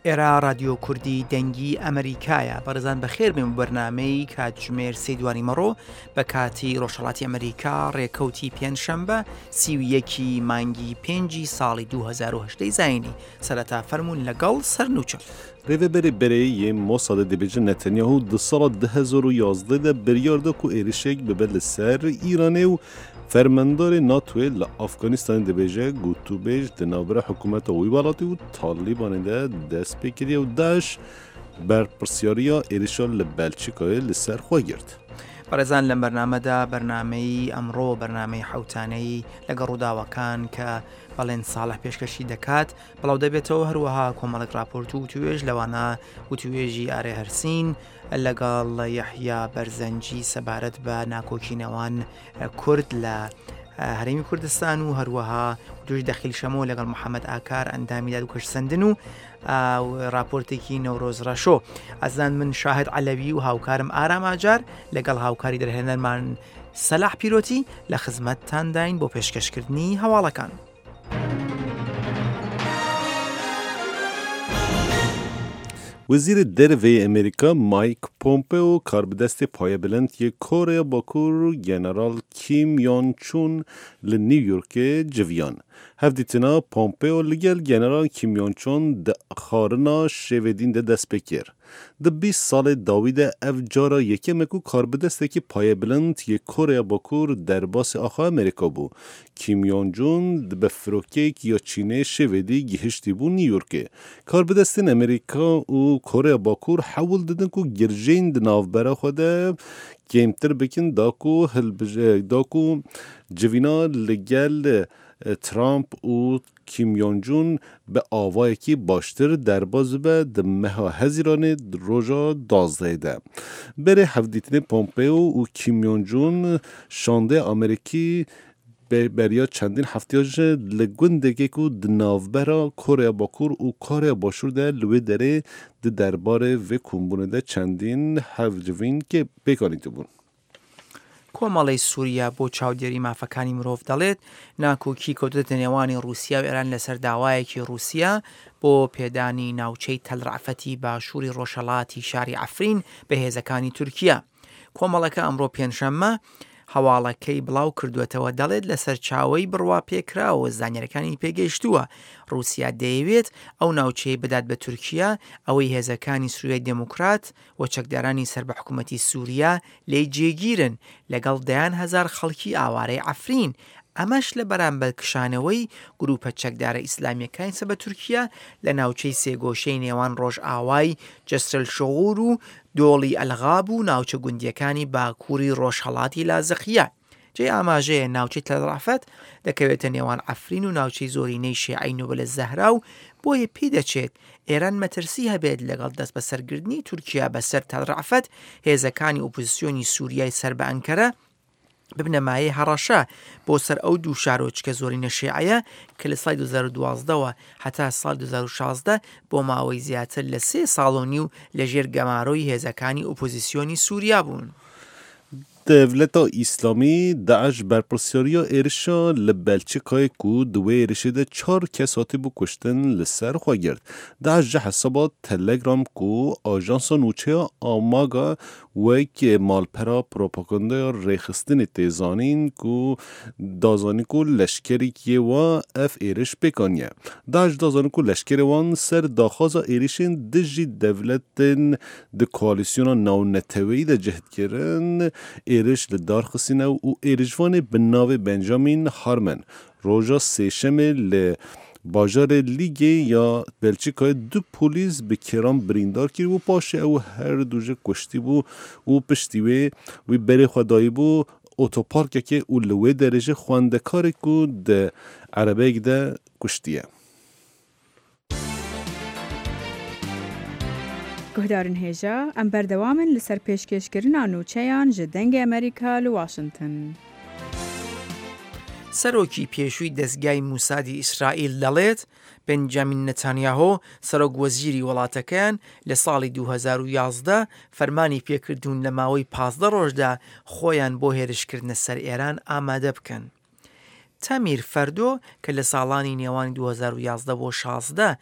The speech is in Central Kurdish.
ئێرە ڕادیۆ کوردی دەنگی ئەمریکایە بەڕێزان بەخێر بێن بۆ بەرنامەی کاتژمێر سێ دوانی مەڕۆ بە کاتی ڕۆژهەڵاتی ئەمریکا ڕێکەوتی پێنجشەمبە 31 مانگی پێنجی ساڵی 2010 زینی سەرەتا فەرمونون لەگەڵ سەرنوچە. Rêveberê berê yê Mossadê dibêje Netanyahu di sala 2011 de biryar da ku êrişek bibe li ser Îranê û Fermandarê NATOyê li Afganistanê dibêje gotûbêj di navbera hikûmeta wî welatî û Talîbanê de dest pê kiriye û DAIŞ berpirsyariya êrişa li Belçîkayê li ser xwe girt. بەڕێزان لەم بەرنامەدا بەرنامەی ئەمڕۆ بەرنامەی حەوتانەی لەگەڵ ڕووداوەکان کە بەڵێن ساڵح پێشکەشی دەکات بڵاو دەبێتەوە هەروەها کۆمەڵێک راپۆرت و وتوێژ لەوانە وتوێژی ئارێ هەرسین لەگەڵ یەحیا بەرزەنجی سەبارەت بە ناکۆکی نێوان کورد لە هەرێمی کوردستان و هەروەها دوش دەخیل شەمۆ لەگەڵ محەممەد ئاکار ئەندامی داد و کەشسەندن و راپۆرتێکی نەورۆز ڕەشۆ ئەزان من شاهد عەلەوی و هاوکارم ئارام ئاجار لەگەڵ هاوکاری دەرهێنەرمان سەلاح پیرۆتی لە خزمەتتانداین بۆ پێشکەشکردنی هەواڵەکان. Wezîrê Derve yê Amerîka Mike Pompeo karbidestê payebilind yê Koreya Bakur General Kim Yon Chun li New Yorkê civiyan. Hevdîtina Pompeo li gel General Kim Yon Chun di xwarina şêvedîn de dest pê kir. Di 20 salê dawî de ev cara yekem e ku karbidestekî payebilind yê Koreya Bakur derbasê axa Amerîka bû. Kim Yon Jun bi firokeyek ya Çînê şêvedî gihiştîbû New Yorkê. Karbidestên Amerîka û Koreya Bakur hewl didin ku girjên di navbera xwe de kêmtir bikin da ku da ku civîna li gel Trump û Kim Yon Jun bi avayekî baştir derbas bibe di meha Hezîranê roja 12 de. Berê hevdîtinê Pompeo û Kim Yon Jun şandê Amerîkî beriya çendîn heftiya ji li gundekê ku di navbera Koreya Bakur û Koreya Başûr de li wê derê di derbarê vê kombûnê de çendîn hevcivîn pêk anîtibûn. کۆمەڵەی سووریا بۆ چاودێری مافەکانی مرۆڤ دەڵێت، ناکۆکی کەوتووەتە نێوانی ڕووسیا و ئێران لەسەر داوایەکی ڕووسیا بۆ پێدانی ناوچەی تەل ڕەعفەتی باشووری ڕۆژهەڵاتی شاری عەفرین بە هێزەکانی تورکیا. کۆمەڵەکە ئەمڕۆ پێنجشەممە هەواڵەکەی بڵاو کردووەتەوە دەڵێت لە سەرچاوەی بڕواپێکراوە زانیاریەکانی پێگەیشتووە ڕووسیا دەیەوێت ئەو ناوچەیە بدات بە تورکیا ئەوەی هێزەکانی سوریای دێموکرات و چەکدارانی سەر بە حکوومەتی سووریا لێی جێگیرن لەگەڵ دەیان هەزار خەڵکی ئاوارەی عەفرین، ئەمەش لە بەرامبەر کشانەوەی گرووپە چەکدارە ئیسلامییەکانی سەر بە تورکیا لە ناوچەی سێگۆشەی نێوان ڕۆژئاوای جسرالشغور و دۆڵی ئەلغاب و ناوچە گوندییەکانی باکووری ڕۆژهەڵاتی لازقیە. جێی ئاماژەیە ناوچەی تەل ڕەعفەت دەکەوێتە نێوان عەفرین و ناوچەی زۆرینەی شیعەی نوبل الزەهرا و بۆیە پیدەچێت ئێران مەترسی هەبێت لەگەڵ دەستبەسەرگرتنی تورکیا بەسەر تەل ڕەعفەت هێزەکانی ئۆپۆزسیۆنی سوریای سەر بە ئەنکەرە ببنە مایەی هەڕەشە بۆ سەر ئەو دوو شارۆچکە زۆرینە شیعەیە کە لە ساڵی 2012 وە هەتا ساڵی 2016 بۆ ماوەی زیاتر لە سێ ساڵ و نیو لەژێر گەمارۆی هێزەکانی ئۆپۆزسیۆنی سوریا بوون. Dewleta Îslamî DAIŞ berpirsyariya êrişa li Belçîkayê ku di wê êrişê de çar kes hatibû kuştin li ser xwe girt. DAIŞ ji hesaba Telegram ku ajansa nûçeya Amaga wek malpera propagandaya rêxistinê tê zanîn ku da zanîn ku leşkerek yê wan ev êriş pêk aniye. DAIŞ da zanîn ku leşkerê wan ser daxwaza êrişên dijî dewletên di koalîsyona navneteweyî de cih dikirin êriş li dar xistîne û êrişvanê bi navê Benjamin Harman roja sêşemê li bajarê Lîgê ya Belçîkayê du polîs bi kêran birîndar kiribû paşê ew her du jî kuştîbû û piştî wê wî berê xwe dayîbû otoparkekê û li wê derê jî xwendekarek ku di erebeyek de kuştiye. Guhdarên hêja, em berdewam in li ser pêşkêşkirina nûçeyan ji Dengê Amerîka li Washington. سەرۆکی پێشووی دەزگای موسادی ئیسرائیل دەڵێت، بنجامین نەتانیاهۆ، سەرۆک وەزیری وڵاتەکەیان لە ساڵی 2011 فەرمانی پێکردوون لە ماوەی 15 ڕۆژدا خۆیان بۆ هێرشکردنە سەر ئێران ئامادە بکەن. تەمیر فەردۆ کە لە ساڵانی نێوانی 2011 بۆ 16.